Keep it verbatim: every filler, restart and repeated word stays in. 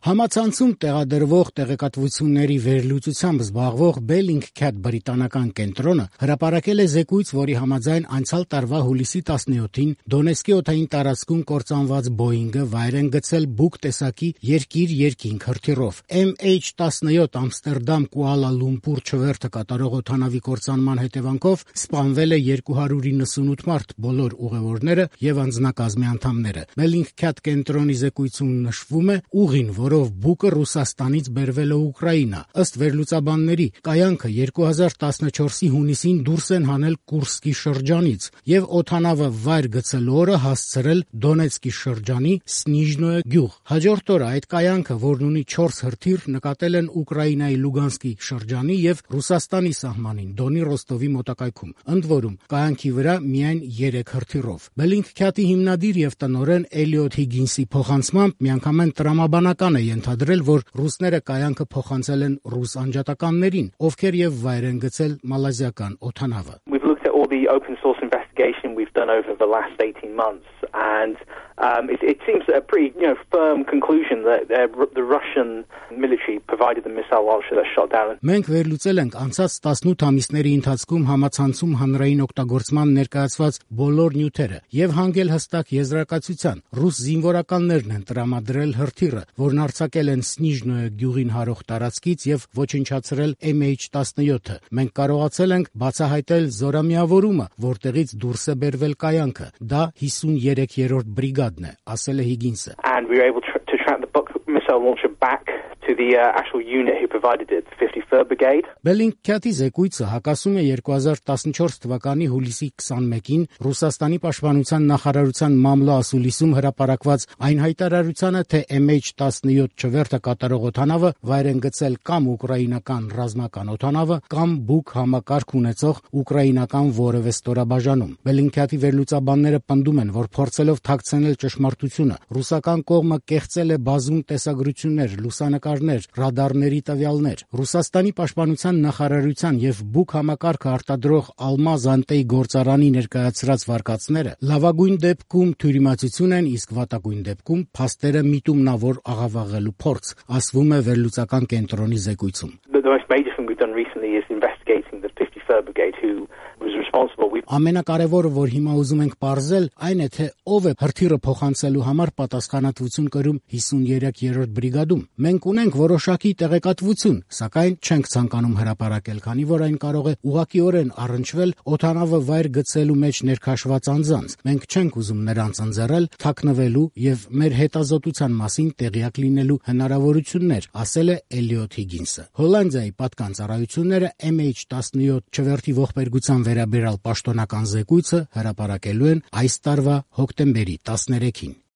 Համացանցում տեղադրվող տեղեկատվությունների վերլուծությամբ զբաղվող Bellingcat բրիտանական կենտրոնը հրապարակել է զեկույց, որի համաձայն անցյալ տարվա հուլիսի տասնյոթին Դոնեցկի օդային տարածքում կործանված Boeing-ը վայր են գցել Buk տեսակի երկիր-երկինք հրթիռով։ M H տասնյոթ Ամստերդամ Կուալա Լումպուր չվերթը կատարող օդանավի կործանման հետևանքով սպանվել է երկու հարյուր իննսունութ մարդ, բոլոր ուղևորները եւ անձնակազմի անդամները։ Bellingcat կենտրոնի զեկույցում նշվում է ուղին, որով Բուկը Ռուսաստանից բերվել է Ուկրաինա։ Ըստ վերլուծաբանների, կայանքը երկու հազար տասնչորսի հունիսին դուրս են հանել Կուրսկի շրջանից եւ օդանավը վայր գցելու օրը հասցրել Դոնեցկի շրջանի Սնիժնոյե գյուղ։ Հաջորդ օրը այդ կայանքը, որն ունի չորս հրթիռ, նկատել են Ուկրաինայի Լուգանսկի շրջանի եւ Ռուսաստանի սահմանին Դոնի Ռոստովի մոտակայքում։ Ընդ որում, կայանքի վրա միայն երեք հրթիռով։ Bellingcat-ի հիմնադիր եւ տնօրեն Էլիոթ Հիգինսի փոխանցմամբ միանգամայն տրամաբանական է ենթադրել, որ ռուսները կայանքը փոխանցել են ռուս անջատականներին, ովքեր եւ վայր են գցել մալազիական օդանավը։ We've looked at all the open source investigation we've done over the last eighteen months and um, it, it seems a pretty you know, firm conclusion that uh, the Russian military provided the missile launcher that shot down. Մենք վերլուծել ենք անցած տասնութ ամիսների ընթացքում համացանցում հանրային օգտագործման ներկայացված բոլոր նյութերը եւ հանգել հստակ եզրակացության։ Ռուս զինվորականներն են տրամադրել հրթիռը, որն արձակել են Սնիժնոյե գյուղին հարող տարածքից եւ ոչնչացրել M H տասնյոթը։ Մենք կարողացել ենք բացահայտել զորամիավորումը, որտեղից դուրս է բերվել կայանքը։ Դա հիսուներեքերորդ բրիգադն է, ասել է Հիգինսը։ And we were able to, to track the Buk missile launcher back to the uh, actual unit who provided it, the fifty-third Brigade. Bellingcat-ի զեկույցը հակասում է երկու հազար տասնչորս թվականի հուլիսի քսանմեկին Ռուսաստանի պաշտպանության նախարարության մամլո ասուլիսում հրապարակված այն հայտարարությանը, թե M H տասնյոթ չվերթը կատարող օդանավը վայր են գցել կամ ուկրաինական ռազմական օդանավը, կամ Buk համակարգ ունեցող ուկրաինական որևէ ստորաբաժանում։ Bellingcat-ի վերլուծաբանները պնդում են, որ փորձելով թաքցնել ճշմարտությունը, ռուսական կողմը կեղծել է բազում տեսագրություններ, լուսանկարներ, ռադարների տվյալներ։ Ռուսաստանի պաշտպանության նախարարության եւ Buk համակարգը արտադրող Almaz Antey գործարանի ներկայացրած վարկածները լավագույն դեպքում թյուրիմացություն են, իսկ վատագույն դեպքում փաստերը միտումնավոր աղավաղելու փորձ, ասվում է վերլուծական կենտրոնի զեկույցում։ The, the most major thing we've done recently is investigating the fifty-third Brigade who was responsible. We... Ամենակարևորը, որ հիմա ուզում ենք պարզել, այն է, թե ով է հրթիռը փոխանցելու համար պատասխանատվություն կրում հիսուներեքերորդ բրիգադում։ Մենք ունենք որոշակի տեղեկատվություն, սակայն չենք ցանկանում հրապարակել, քանի որ այն կարող է ուղղակիորեն առնչվել օդանավը վայր գցելու մեջ ներքաշված անձանց։ Մենք չենք ուզում նրանց ընձեռել թաքնվելու եւ մեր հետազոտության մասին տեղյակ լինելու հնարավորություններ, ասել է Էլիոթ Հիգինսը։ Հոլանդիայի պատկան ծառայությունները M H տասնյոթ չվերթի ողբերգության վերաբերյալ պաշտոնական զեկույցը հրապարակելու են այս տարվա հոկտեմբերի տասներեքին։